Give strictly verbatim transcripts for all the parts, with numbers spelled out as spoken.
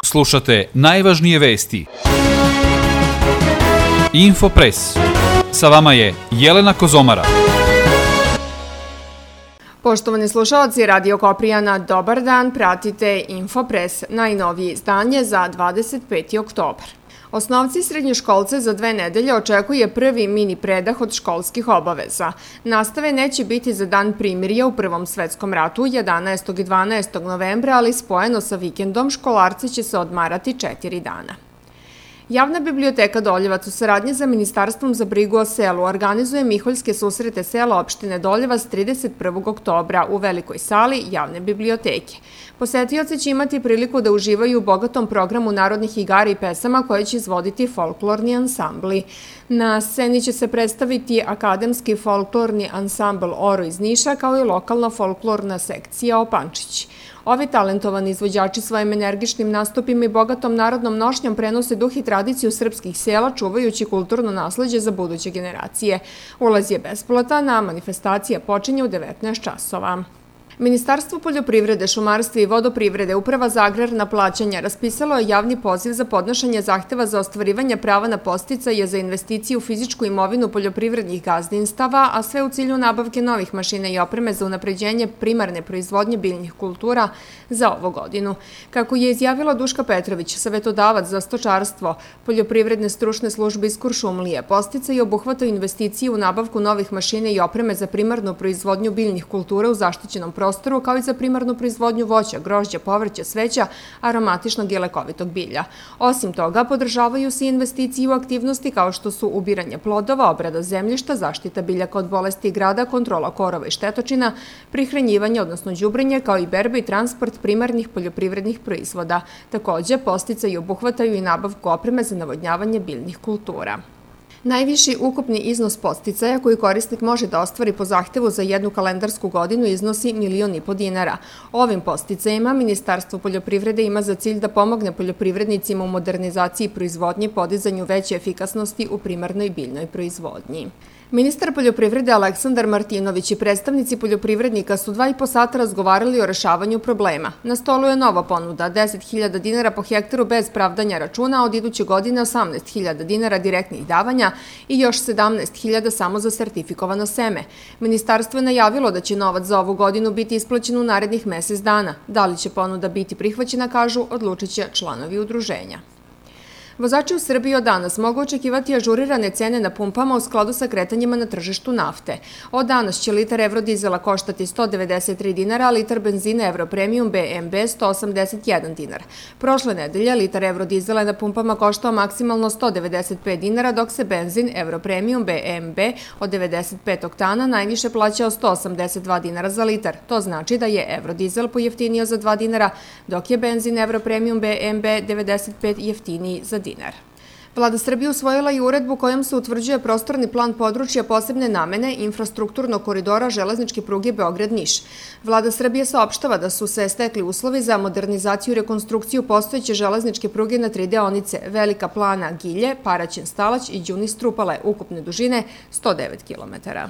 Slušate najvažnije vesti. Infopres. Sa vama je Jelena Kozomara. Poštovani slušalci Radio Koprijana, dobar dan, pratite Infopres, najnovije izdanje za dvadeset peti oktobar. Osnovci i srednjoškolce za dve nedelje očekuje prvi mini predah od školskih obaveza. Nastave neće biti za dan primirja u Prvom svetskom ratu jedanaestog i dvanaestog novembra, ali spojeno sa vikendom školarci će se odmarati četiri dana. Javna biblioteka Doljevac u saradnji sa Ministarstvom za brigu o selu organizuje Miholjske susrete sela opštine Doljevac trideset prvog oktobra u velikoj sali javne biblioteke. Posetioci će imati priliku da uživaju u bogatom programu narodnih igara i pesama koje će izvoditi folklorni ansambli. Na sceni će se predstaviti akademski folklorni ansambl Oro iz Niša kao i lokalna folklorna sekcija Opančić. Ovi talentovani izvođači svojim energičnim nastupima i bogatom narodnom nošnjom prenose duh i tradiciju srpskih sela, čuvajući kulturno nasleđe za buduće generacije. Ulaz je besplatan, a manifestacija počinje u devetnaest časova. Ministarstvo poljoprivrede, šumarstva i vodoprivrede, Uprava za agrarna plaćanja, raspisalo je javni poziv za podnošenje zahteva za ostvarivanje prava na podsticaje za investiciju u fizičku imovinu poljoprivrednih gazdinstava, a sve u cilju nabavke novih mašina i opreme za unapređenje primarne proizvodnje biljnih kultura za ovu godinu. Kako je izjavila Duška Petrović, savetodavac za stočarstvo Poljoprivredne stručne službe iz Kuršumlije, podsticaji obuhvataju investiciju u nabavku novih mašina i opreme za primarnu proizvodnju biljnih kultura u zaštićenom prostoru, prostoru, kao i za primarnu proizvodnju voća, grožđa, povrća, cveća, aromatičnog i lekovitog bilja. Osim toga, podržavaju se investicije u aktivnosti kao što su ubiranje plodova, obrada zemljišta, zaštita biljaka od bolesti grada, kontrola korova i štetočina, prihranjivanje, odnosno đubrenje, kao i berba i transport primarnih poljoprivrednih proizvoda. Takođe, podsticaji obuhvataju i nabavku opreme za navodnjavanje biljnih kultura. Najviši ukupni iznos podsticaja koji korisnik može da ostvari po zahtevu za jednu kalendarsku godinu iznosi milion i po dinara. Ovim podsticajima Ministarstvo poljoprivrede ima za cilj da pomogne poljoprivrednicima u modernizaciji proizvodnje, podizanju veće efikasnosti u primarnoj biljnoj proizvodnji. Ministar poljoprivrede Aleksandar Martinović i predstavnici poljoprivrednika su dva i po sata razgovarali o rešavanju problema. Na stolu je nova ponuda, deset hiljada dinara po hektaru bez pravdanja računa, a od iduće godine osamnaest hiljada dinara direktnih davanja i još sedamnaest hiljada samo za sertifikovano seme. Ministarstvo je najavilo da će novac za ovu godinu biti isplaćen u narednih mesec dana. Da li će ponuda biti prihvaćena, kažu, odlučit će članovi udruženja. Vozači u Srbiji od danas mogu očekivati ažurirane cene na pumpama u skladu sa kretanjima na tržištu nafte. Od danas će litar evrodizela koštati sto devedeset tri dinara, a litar benzina Europremium B M B sto osamdeset jedan dinar. Prošle nedelje litar evrodizela je na pumpama koštao maksimalno sto devedeset pet dinara, dok se benzin Europremium B M B od devedeset pet oktana najviše plaćao sto osamdeset dva dinara za litar. To znači da je evrodizel pojeftinio za dva dinara, dok je benzin Europremium B M B devedeset pet jeftiniji za dinar. Vlada Srbije usvojila i uredbu kojom se utvrđuje prostorni plan područja posebne namene infrastrukturnog koridora železničke pruge Beograd-Niš. Vlada Srbije saopštava da su se stekli uslovi za modernizaciju i rekonstrukciju postojeće železničke pruge na tri deonice Velika Plana-Gilje, Paraćin-Stalać i Đunis-Trupale, ukupne dužine sto devet kilometara.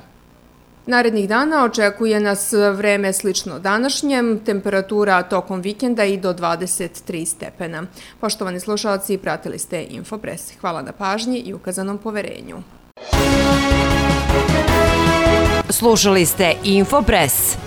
Narednih dana očekuje nas vreme slično današnjem, temperatura tokom vikenda i do dvadeset tri stepena. Poštovani slušalci, pratili ste Infopres. Hvala na pažnji i ukazanom poverenju. Slušali ste Infopres.